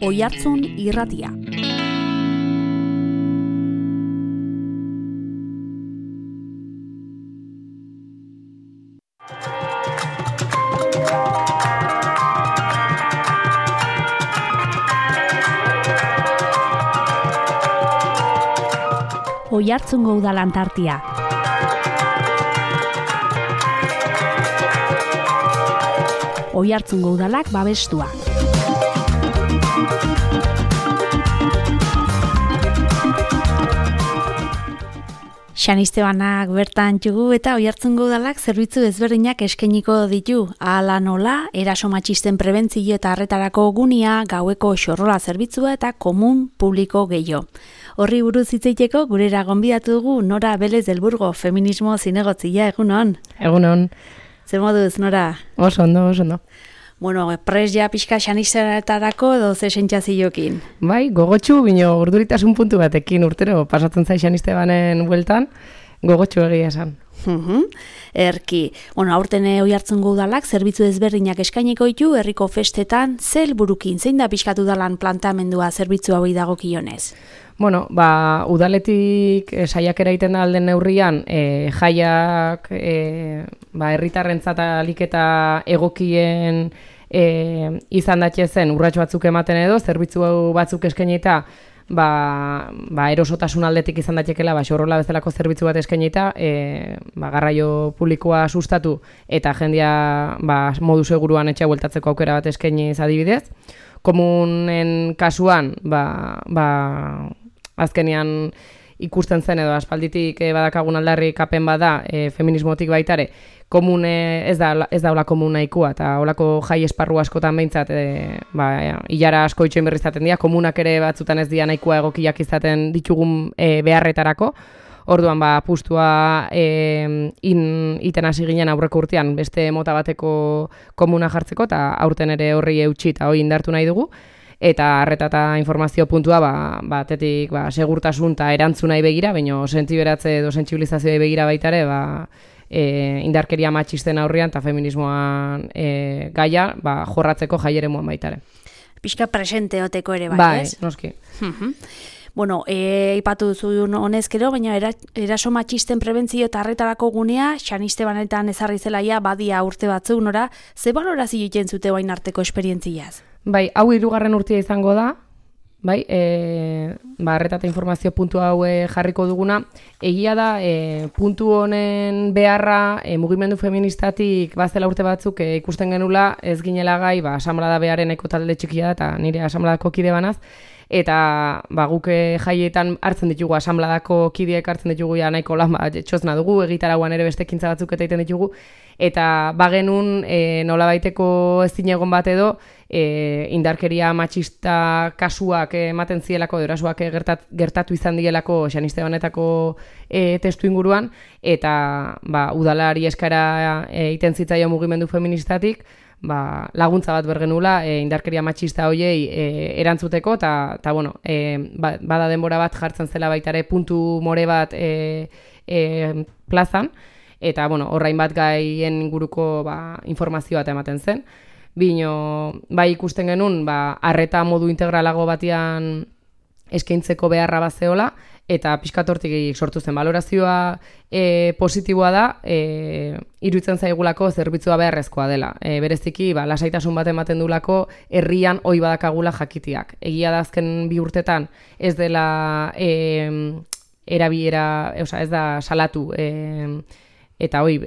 Oihartzun irratia. Oihartzungo udalan tartia. Oihartzungo udalak babestua. San Estebanak bertan txugu eta Oihartzungo udalak zerbitzu ezberdinak eskainiko ditu. Hala nola, eraso matxisten prebentzio eta arretarako gunia, gaueko xorrola zerbitzua eta komun publiko gehiago. Horri buruz hitz egiteko gurera gonbidatu dugu Nora Belez del Burgo, feminismo zinegotzia, egunon? Egunon. Zer moduz, Nora? Oso ondo. Bueno, prest ja pixka San Estebanetarako edo ze sentsazioekin? Bai, gogotsu, bino urduritasun puntu batekin urtero pasatzen zai San Estebanen bueltan, gogotsu egia esan. Erki. Bueno, aurten Oihartzungo udalak zerbitzu ezberdinak eskainiko ditu herriko festetan, ze helburukin, zein da pixkatu udalan planteamendua zerbitzu hauei dagokionez? Bueno, udaletik saiakera egiten da alden neurrian, jaiak herritarrentzat ahalik eta egokien izan datzezen urrats batzuk ematen edo, zerbitzu batzuk eskainita, erosotasun aldetik izan datekela, xorrola bezalako zerbitzu bat eskainita, garraio publikoa sustatu eta jendia modu seguruan etxea bueltatzeko aukera bat eskainiz adibidez. Komunen kasuan, azkenean ikusten zen edo aspalditik badakagun aldarrikapen bada feminismotik baitare, komune ez da hola komuna ikua, eta holako jai esparru askotan behintzat hilara asko itxoin berri izaten dira, komunak ere batzutan ez dira nahikoa egokiak izaten ditugun beharretarako. Orduan apustua iten hasi ginen aurreko urtean beste mota bateko komuna jartzeko, eta aurten ere horri eutsi eta hori indartu nahi dugu. Eta arreta eta informazio puntua batetik segurtasun eta erantzunai begira, baina sentiberatze edo sentsibilizazioa begira baitare, indarkeria matxisten aurrean eta feminismoan gaia jorratzeko jaieremuan baitare. Pixka presente oteko ere bai, ez? Noski. Bueno, ipatu duzu honezkero, baina eraso matxisten prebentzio eta arretarako gunea, San Estebanetan ezarri zelaia badia urte batzuk, Nora, ze balorazio egiten zute orain arteko esperientziaz? Bai, hau 3. urtea izango da, bai, arreta eta informazio puntu hau jarriko duguna. Egia da, puntu honen beharra mugimendu feministatik bazela urte batzuk ikusten genula, ez ginela gai, asamblada beharren eko talde txikia da, eta nire asamladako kide banaz, eta guk jaietan hartzen ditugu, asamladako kideek hartzen ditugu nahiko lan txozna dugu, egitarauan ere beste ekintza batzuk eta egiten ditugu, eta bagenun nolabaiteko ezin egon bat edo, indarkeria matxista kasuak ematen zielako, erasoak gertatu izan dielako San Estebanetako testu inguruan, eta udalari eskara egiten zitzaio mugimendu feministatik, laguntza bat bergenula indarkeria matxista hoiei erantzuteko, eta bueno, bada denbora bat jartzen zela baitare puntu more bat plazan, eta bueno, horrain bat gaien inguruko informazio bat ematen zen. Bino, ikusten genuen, arreta modu integralago batean eskaintzeko beharra bazeola, eta pixkatortik sortu zen balorazioa positiboa da, iruditzen zaigulako zerbitzua beharrezkoa dela. Bereziki, lasaitasun bat ematen dulako herrian ohi badakagula jakitiak. Egia da azken 2 urtetan ez dela erabilera, ez da salatu, eta hoi,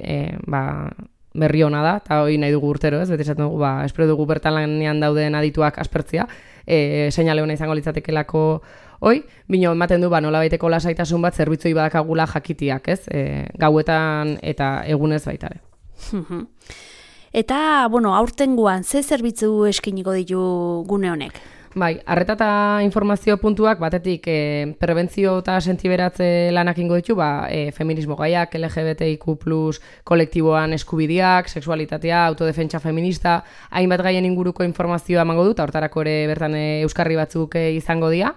berri hona da, eta hori nahi dugu urtero, ez? Beti esaten dugu, espero dugu bertan lanean dauden adituak aspertzia, seinale hona izango litzatekelako hoi, bino ematen du, nolabaiteko lasaitasun bat zerbitzoi badakagula jakitiak, ez? Gauetan eta egunez baitare. Eta, bueno, aurtengoan, ze zerbitzu eskainiko ditu gune honek? Bai, arreta eta informazio puntuak batetik prebentzio eta sentiberatze lanak ingo ditu, feminismo gaiak, LGBTIQ+, kolektiboan eskubideak, sexualitatea, autodefentsa feminista, hainbat gaien inguruko informazioa emango dut, hortarako ere bertan euskarri batzuk izango dira.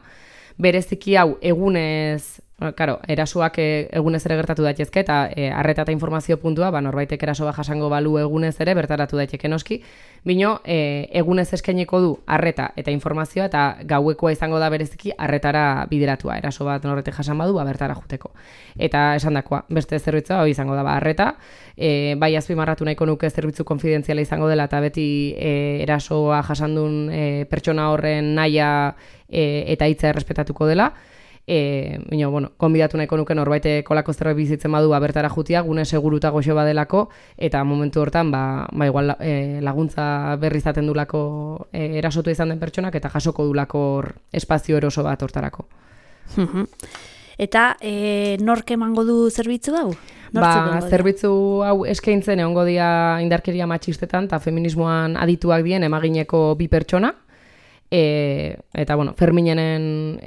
Bereziki hau egunez, Claro, erasoak egunez ere gertatu daitezke eta arreta eta informazio puntua, norbaitek eraso bat jasango balu egunez ere bertaratu daiteke noski, bino egunez eskainiko du arreta eta informazioa eta gauekoa izango da bereziki arretara bideratua. Eraso bat norbatek jasan badu, bertara juteko. Eta esandakoa, beste zerbitzua izango da arreta, bai azpimarratu nahiko nuke zerbitzu konfidentziala izango dela eta beti erasoa jasandun pertsona horren nahia eta hitza errespetatuko dela. Konbidatu nahiko nuke norbait kolako zerbait bizitzen badu bertara jutia, gune seguruta goxo badelako, eta momentu hortan igual laguntza berri izaten dulako erasotu izan den pertsonak eta jasoko dulako espazio eroso bat hortarako. Eta nork emango du zerbitzu hau? Zerbitzu hau eskaintzen egongo dira indarkeria matxistetan eta feminismoan adituak dien emagineko bi pertsona. Eta, Ferminenen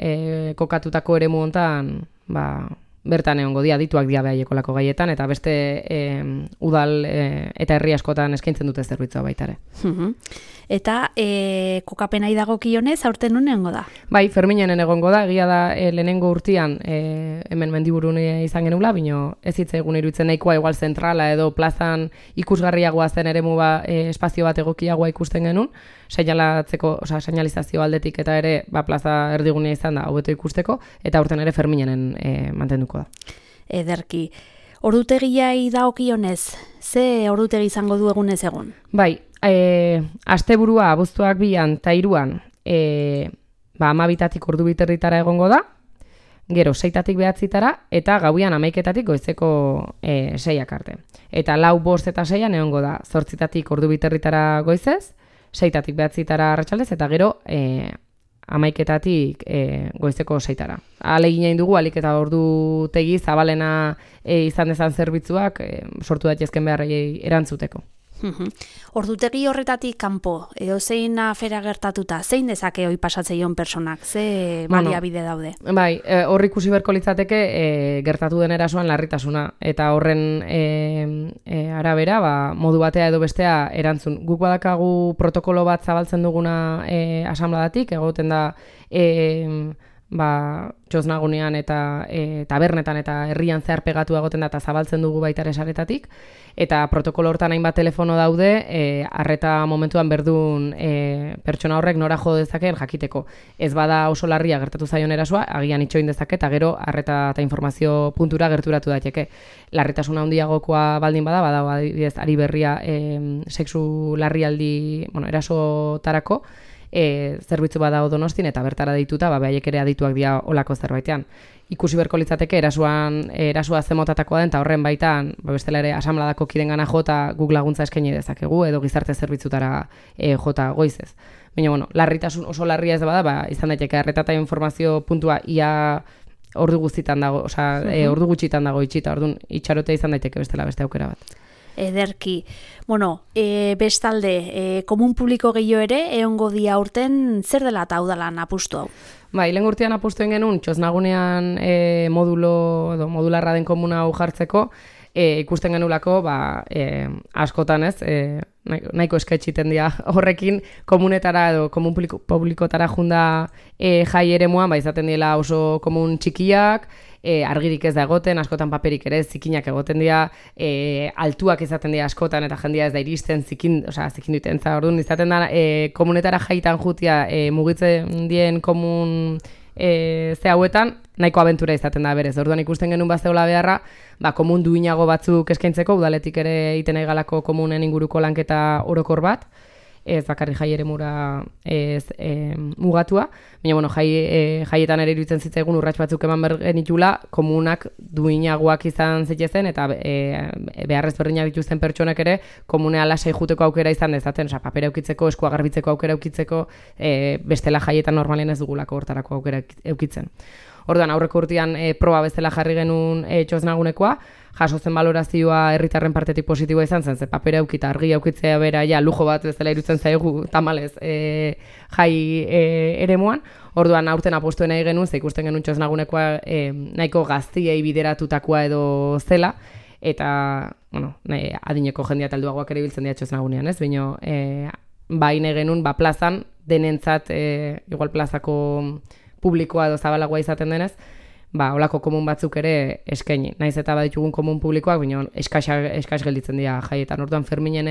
kokatutako eremu hontan, bertan egongo adituak dia behaiekolako gaietan, eta beste udal eta herri askotan eskaintzen dute zerbitzua baita ere. Eta kokapenai dagokionez, aurten nun egongo da? Bai, Ferminenen egongo da, egia da lehenengo urtean hemen mendiburun izan genula, bino ez hitzegun iruditzen nahikoa igual zentrala edo plazan ikusgarriagoa zen eremu espazio bat egokiagoa ikusten genuen, seinalizazio aldetik eta ere plaza erdigunea izan da hobeto ikusteko, eta aurten ere Ferminenen mantenduko da. Ederki. Ordutegiai dagokionez, ze ordutegi izango du egunez egun? Bai, asteburua abuztuak 2an eta 3an 12tatik ordu biterritara egongo da, gero 6tatik 9tara eta gauian 11tatik goizeko 6ak arte. Eta 4, 5 eta 6an egongo da 8tatik ordu biterritara goizez, 6tatik 9tara arratsaldez eta gero 11tatik goizeko 6tara. Ahalegin egin dugu alik eta ordutegi zabalena izan dezan zerbitzuak sortu daitezken beharrei erantzuteko. Ordutegi horretatik kanpo, zein afera gertatuta, zein dezake hoi pasatzeion personak, ze baliabide daude? Bai, hor ikusi berko litzateke gertatu den erasoan larritasuna, eta horren arabera modu batea edo bestea erantzun. Guk badakagu protokolo bat zabaltzen duguna asambladatik, egoten da txosnagunean eta tabernetan eta herrian zehar pegatu egoten da eta zabaltzen dugu baita ere saretatik, eta protokolo hortan hainbat telefono daude arreta momentuan berdun pertsona horrek nora jo dezakeen jakiteko. Ez bada oso larria gertatu zaion erasoa, agian itxoin dezake eta gero arreta eta informazio puntura gerturatu daiteke. Larritasuna handiagokoa baldin badago adibidez ari berria sexu larrialdi erasotarako, zerbitzu badago Donostin eta bertara deituta behaiek ere adituak dira olako zerbaitean. Ikusi berko litzateke erasoa zemotatakoa den eta horren baitan bestela ere asamladako kidengana jota guk laguntza eskaini dezakegu edo gizarte zerbitzutara jota goizez. Baina larritasun oso larria ez bada, izan daiteke arreta eta informazio puntua ia ordu guztitan dago, ordu gutxitan dago itxita, orduan itxarotea izan daiteke bestela beste aukera bat. Ederki. Bestalde, komun publiko gehiago ere, egongo dia urten zer dela eta udalan apustu hau? Lehen urtean apustuen genuen, txosnagunean modularra den komuna hau jartzeko, ikusten genulako, askotan ez, nahiko esketxiten dira horrekin, komunetara edo komun publikotara junda jai ere muan, izaten dira oso komun txikiak, argirik ez da egoten, askotan paperik ere zikinak egoten dira, altuak izaten dira askotan eta jendia ez da iristen zikin duten, orduan izaten da komunetara jaitan jutia mugitzen dien komun ze hauetan, nahiko abentura izaten da berez. Orduan ikusten genuen bazeola beharra, komun duinago batzuk eskaintzeko, udaletik ere iten galako komunen inguruko lanketa orokor bat, ez bakarri jai ere mugatua, baina jaietan ere iruditzen zitzaigun urrats batzuk eman genitula, komunak duinagoak izan zitezen eta beharrez berdinak dituzten pertsonak ere komunea lasai juteko aukera izan dezaten, papera eukitzeko, eskua garbitzeko aukera eukitzeko, bestela jaietan normalen ez dugulako hortarako aukera eukitzen. Orduan, aurreko urtean proba bezala jarri genuen txosnagunekoa, jaso zen balorazioa herritarren partetik positiboa izan zen, ze papera eukita, argia eukitzea bera, lujo bat bezala irutzen zaigu tamalez jai eremuan. Orduan, aurten apostuen nahi genuen, ze ikusten genuen txosnagunekoa nahiko gaztiei bideratutakoa edo zela, eta, adineko jendia talduagoak ere biltzen dira txosnagunean, ez? Baina, baina genuen, plazan, denentzat, igual plazako publikoa edo zabalagoa izaten denez, olako komun batzuk ere eskaini. Naiz eta baditugun komun publikoak, baina eskas gelditzen dira jaietan. Orduan Ferminen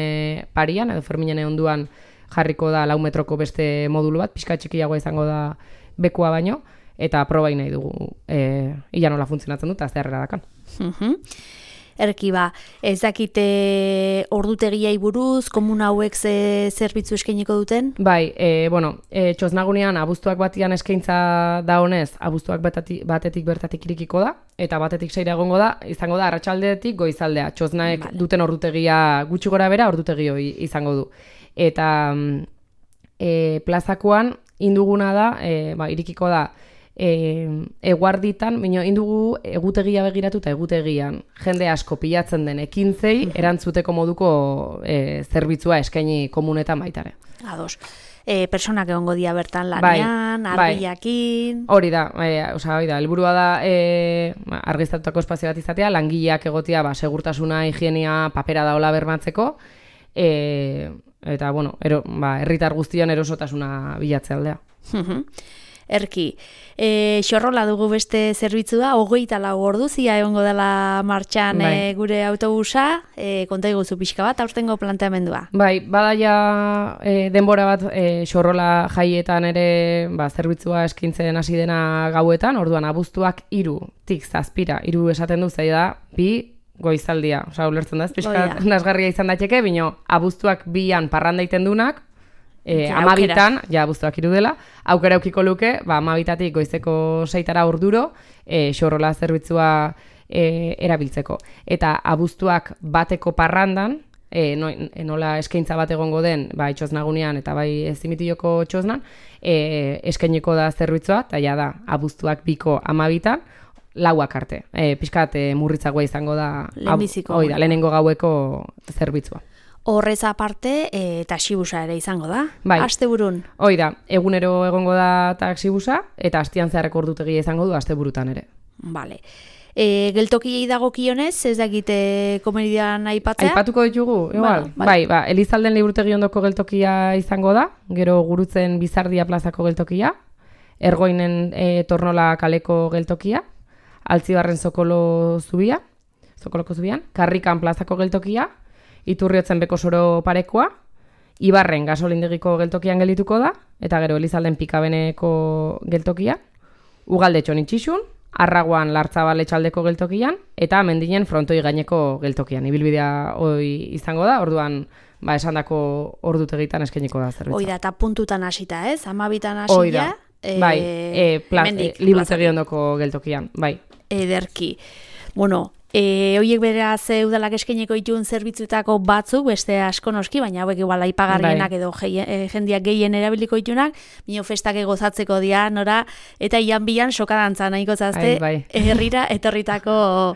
parian, edo Ferminen onduan jarriko da 4 metroko beste modulu bat, pixka txikiagoa izango da bekua baino, eta probai nahi dugu ia nola funtzionatzen dut, azte harrera dakan. Erki ez dakite ordutegiai buruz, komun hauek zerbitzu eskainiko duten? Bai, txosnagunean abuztuak batian eskaintza da honez, abuztuak batetik bertatik irikiko da, eta batetik 6 egongo da, izango da arratsaldetik goizaldea. Txosnaek duten ordutegia gutxi gora bera, ordutegi hori izango du. Eta plazakoan induguna da, irikiko da, eguarditan, baina indugu egutegia begiratu eta egutegian jende asko pilatzen den ekintzei erantzuteko moduko zerbitzua eskaini komunetan baitare. Ados. Personak egongo dira bertan lanean, argiakin... Hori da, helburua da argiztatutako espazio bat izatea, langileak egotea segurtasuna, higienia, papera daola bermatzeko, eta, herritar guztian erosotasuna bilatzea aldea. Erki, xorrola dugu beste zerbitzua, 24 orduzia egongo dela martxan gure autobusa, konta iguzu pixka bat, aurtengo planteamendua. Bai, badaia denbora bat xorrola jaietan ere zerbitzua eskintzen hasi dena gauetan, orduan abuztuak 3-tik 7, 3 esaten du zei da, 2 goizaldia, ulertzen da, pixka nasgarria izan daiteke, bino abuztuak 2an parranda iten dunak, 12an, abuztuak 3 dela, aukera eukiko luke, 12tatik goizeko 6tara orduro, xorrola zerbitzua erabiltzeko. Eta abuztuak bateko parrandan, nola eskaintza bat egongo den, itxosnagunean eta ezimitioko txosnan, eskainiko da zerbitzua, eta da, abuztuak 2ko 12tan, 4 arte. Pixkat murritzagoa izango da, lehenengo gaueko zerbitzua. Horrez aparte, taxibusa ere izango da, asteburun. Hoi da, egunero egongo da taxibusa, eta astian zeharreko ordutegia izango du asteburutan ere. Bale. Geltokiei dagokionez, ez dakite komedian aipatzea? Aipatuko ditugu, igual. Elizalden liburutegi ondoko geltokia izango da, gero Gurutzen Bizardia plazako geltokia, Ergoinen Tornola kaleko geltokia, Altzibarren Sokoloko zubian, Karrikan plazako geltokia, Iturriotzen Bekosoro parekoa, Ibarren gasolindegiko geltokian geldituko da, eta gero Elizalden Pikabeneko geltokia, Ugaldetxon Itxixun, Arraguan Lartzabal Etxaldeko geltokian, eta Mendinen Frontoi gaineko geltokian. Ibilbidea hoi izango da, orduan esandako ordutegitan eskainiko da zerbitza. Hoi da, eta puntutan hasita, ez? 12tan hasia. Liburutegi ondoko geltokian, bai. Ederki. Horiek beraz udalak eskaineko dituen zerbitzuetako batzuk, beste asko noski, baina hauek igual aipagarrienak edo jendiak gehien erabiliko ditunak, bino festak gozatzeko dira, nora, eta ian bilan sokadantza nahiko zazte, herrira etorritako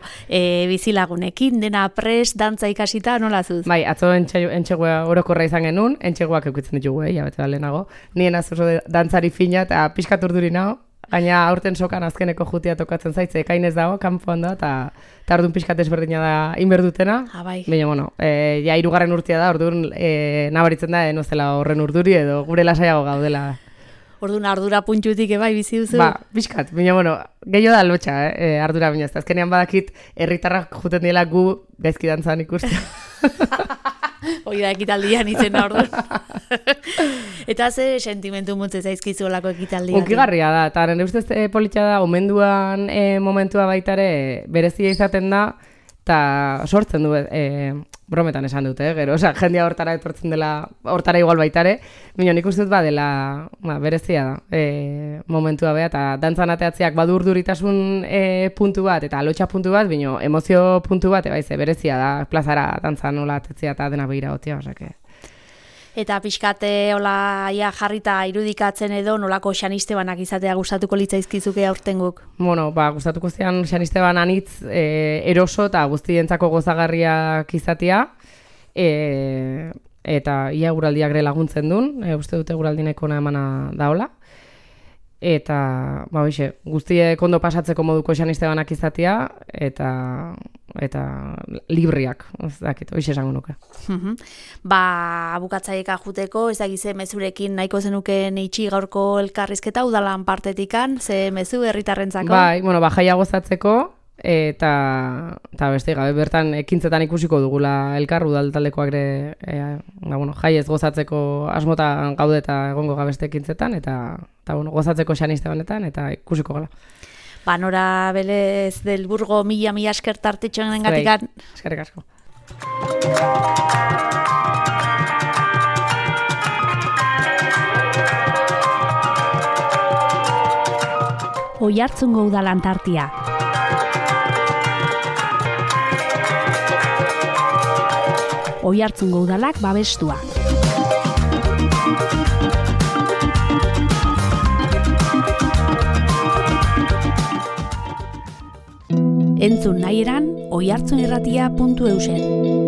bizilagunekin, dena pres, dantza ikasita, nola zuz? Bai, atzo entxegua orokorra izan genuen, entxeguak eukitzen ditugu, jabete da lehenago, nien azoso dantzari fina eta pixkat urduri nago, gaina aurten sokan azkeneko jutia tokatzen zaitze, ekainez dago, kanpoan da, eta orduan pixkat ezberdina da inberdutena. Baina, ja 3. urtea da, orduan nabaritzen da, nozela horren urduri edo gure lasaiago gaudela. Orduan ardura puntxutik ebai bizi duzu? Pixkat, baina, gehiago da lotxa, ardura baina ez. Azkenean badakit, herritarrak juten diela gu gaizki dantzan ikustea. Hoi da ekitaldian izena orduan. Eta ze sentimentu mutze zaizkizu olako ekitaldian? Unkigarria da, eta nire ustez politxa da, omenduan momentua baitare berezia izaten da, eta sortzen du, brometan esan dute, gero, jendia hortara etortzen dela, hortara igual baitare, baina nik uste dut dela, berezia da, momentua beha, eta dantzan ateatzeak badu urduritasun puntu bat, eta lotxa puntu bat, baina emozio puntu bat, berezia da, plazara dantzan nola atetzea eta dena behira gotia, osake. Eta pixkate hola jarrita irudikatzen edo nolako Xanistebanak izatea gustatuko litzaizkizuke aurtenguk? Gustatuko zian Xanisteban anitz eroso eta guztientzako gozagarriak izatea, eta ia guraldiak ere laguntzen duen, uste dute guraldineko emana daola. Eta, guztiek ondo pasatzeko moduko Xanistebanak izatea, eta libriak, ez dakit, hoiz esango nuke. Bukatzaileka juteko, ez dakize mezurekin nahiko zenuken itxi gaurko elkarrizketa udalan partetikan, ze mezu herritarrentzako? Bai, jaia gozatzeko, eta beste gabe bertan ekintzetan ikusiko dugula elkar udaltaldekoak ere jaiez gozatzeko asmotan gaude eta egongo gabeste ekintzetan, eta gozatzeko Xaniste honetan, eta ikusiko gala. Nora Belez del Burgo, mila esker tartetxoen gatikan. Eskerrik asko. Oiartzungo udalan tartia. Oiartzungo udalak babestua. Entzun nahi eran, oiartzunirratia.eusen.